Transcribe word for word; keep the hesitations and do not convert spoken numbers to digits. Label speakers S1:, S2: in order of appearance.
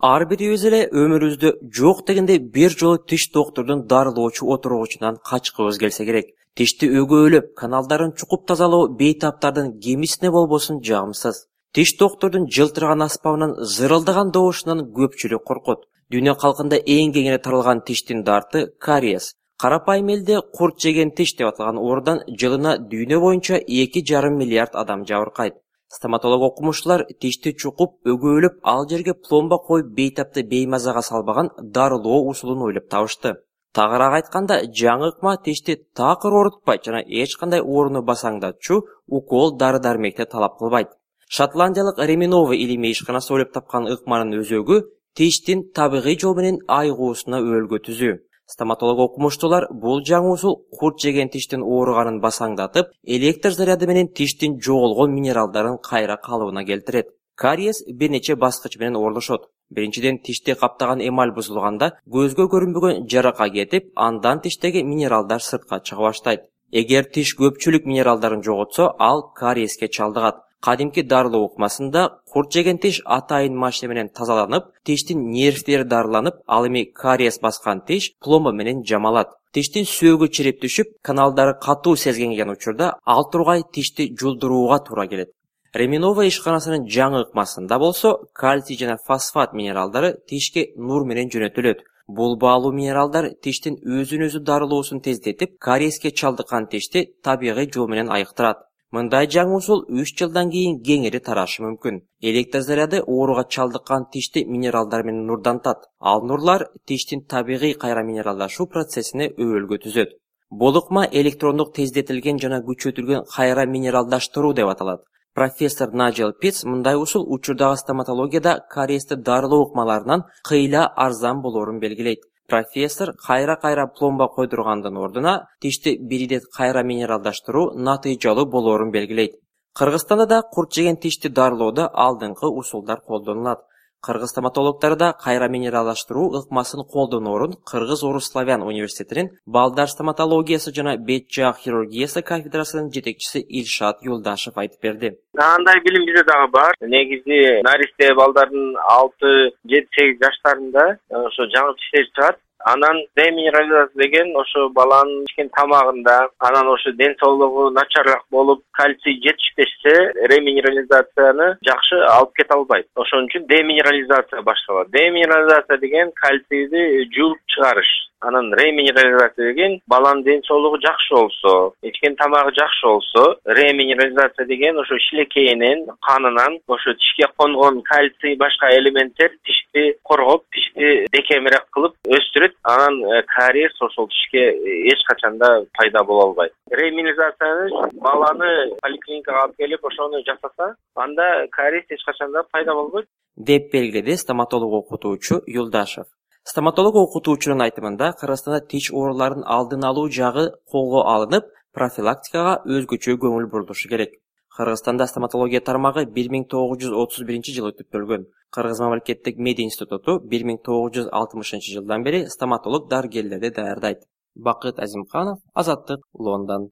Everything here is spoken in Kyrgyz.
S1: Ар бирибиз эле өмүрүбүздө жок дегенде бир жолу тиш доктурдун дарылоочу отургучунан качкыбыз келсе керек. Тишти өгөөлөп, каналдарын чукуп тазалоо бейтаптардын кемисине болбосун жагымсыз. Тиш доктурдун жылтыраган аспабынан зырылдаган добушунан көпчүлүк коркот. Дүйнө калкында эң кеңири таралган тиштин дарты кариес. Карапайым элде курт жеген тиш деп аталган оорудан жылына дүйнө боюнча эки жарым миллиард адам жабыркайт. Стоматолог окумуштуулар тишти чукуп, өгөөлөп, ал жерге пломба коюп бейтапты беймазага салбаган дарылоо усулун ойлоп табышты. Тагыраак айтканда, жаңы ыкма тишти такыр оорутпайт жана эч кандай ооруну басаңдатчу укол дары-дармекти талап кылбайт. Шотландиялык Реминова илимий ишканасы ойлоп тапкан ыкманын өзөгү тиштин табигый жол менен айыгуусуна өөлгө түзүү. Стоматолог окумуштуулар бул жаңы усул курт жеген тиштин ооруганын басаңдатып, электр заряды менен тиштин жоголгон минералдарын кайра калыбына келтирет. Кариес бир нече баскыч менен оорулушат. Биринчиден, тишти каптаган эмаль бузулганда көзгө көрүнбөгөн жарака кетип, андан тиштеги минералдар сыртка чыга баштайт. Эгер тиш көпчүлүк минералдарын жоготсо, ал кариеске чалдыгат. Кадимки дарылоо ыкмасында курт жеген тиш атайын машина менен тазаланып, тиштин нервтери дарыланып, ал эми кариес баскан тиш пломба менен жамалат. Тиштин сөөгү чирип түшүп, каналдары катуу сезгенген учурда ал тургай тишти жулдурууга туура келет. Реминова ишканасынын жаңы ыкмасында болсо, кальций жана фосфат минералдары тишке нур менен жөнөтүлөт. Бул баалуу минералдар тиштин өзүн-өзү дарылоосун тездетип, кариеске чалдыккан тишти табигый жол менен айыктырат. Мындай жаңы усул үч жылдан кийин кеңири тарашы мүмкүн. Электр заряды ооруга чалдыккан тишти минералдар менен нурдантат. Ал нурлар тиштин табигый кайра минералдашуу процессине өөлгө түзөт. Бул ыкма электрондук тездетилген жана күчөтүлгөн кайра минералдаштыруу деп аталат. Профессор Наджел Питц мындай усул учурдагы стоматологияда кариести дарылоо ыкмаларынан кыйла арзан болоорун белгилейт. Профессор кайра-кайра пломба койдургандын ордуна тишти бир ирет кайра минералдаштыруу натыйжалуу болоорун белгилейт. Кыргызстанда да курт жеген тишти дарылоодо алдыңкы усулдар колдонулат. Кыргыз стоматологдору да кайра минералдаштыруу ыкмасын колдоноорун Кыргыз-Орус-Славян университетинин балдар стоматологиясы жана бет жаак хирургиясы кафедрасынын жетекчиси Илшат Юлдашев айтып берди.
S2: Андай билим бизде дагы бар. Негизи наристе балдардын алты жети сегиз жаштарында ошо жаңы тиштер чыгат. Анан деминерализация деген ошо баланын ичкен тамагында, анан ошо ден соолугу начарыраак болуп, кальций жетишпесе, реминерализацияны жакшы алып кете албайт. Ошон үчүн деминерализация башталат. Деминерализация деген кальцийди жууп чыгарыш. Анан реминерализация деген баланын ден соолугу жакшы болсо, ичкен тамагы жакшы болсо, реминерализация деген ошо шилекейинен, канынан ошо тишке конгон кальций башка элементтер тишти коргоп, тишти бекемирээк кылып өстүрөт. Анан кариес ошол тишке эч качанда пайда боло албайт. Реминерализацияны баланы поликлиникага алып келип ошону жасаса, анда кариес эч качанда пайда болбойт,
S1: деп белгиледи стоматолог окутуучу Юлдашев. Стоматолог окутуучунун айтымында, Кыргызстанда тиш ооруларын алдын алуу жагы колго алынып, профилактикага өзгөчө көңүл бурулушу керек. Кыргызстанда стоматология тармагы бир миң тогуз жүз отуз биринчи жылы түптөлгөн. Кыргыз мамлекеттик медиа институту бир миң тогуз жүз алтымышынчы жылдан бери стоматолог дарыгерлерди даярдайт. Бакыт Азимканов, Азаттык, Лондон.